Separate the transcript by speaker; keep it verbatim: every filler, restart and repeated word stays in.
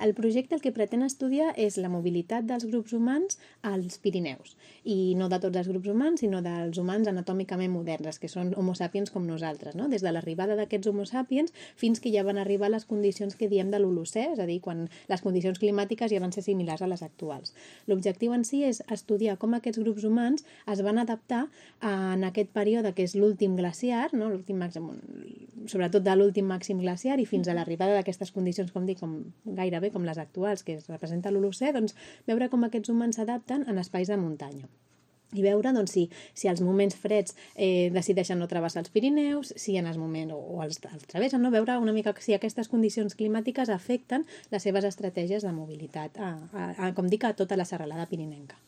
Speaker 1: El projecte el que pretén estudiar és la mobilitat dels grups humans als Pirineus, i no de tots els grups humans, sinó dels humans anatòmicament moderns, que són homo sapiens com nosaltres, no? Des de l'arribada d'aquests homo sapiens fins que ja van arribar a les condicions que diem de l'Holocè, és a dir, quan les condicions climàtiques ja van ser similars a les actuals. L'objectiu en si és estudiar com aquests grups humans es van adaptar en aquest període que és l'últim glaciar, no? L'últim màxim, sobretot de l'últim màxim glaciar i fins a l'arribada d'aquestes condicions, com dic, com gairebé com les actuals, que es representa l'Holocè, doncs veure com aquests humans s'adapten en espais de muntanya. I veure doncs, si, si els moments freds eh, decideixen no travessar els Pirineus, si en els moments, o, o els, els travessen, no? Veure una mica si aquestes condicions climàtiques afecten les seves estratègies de mobilitat, a, a, a, com dic, a tota la serralada pirinenca.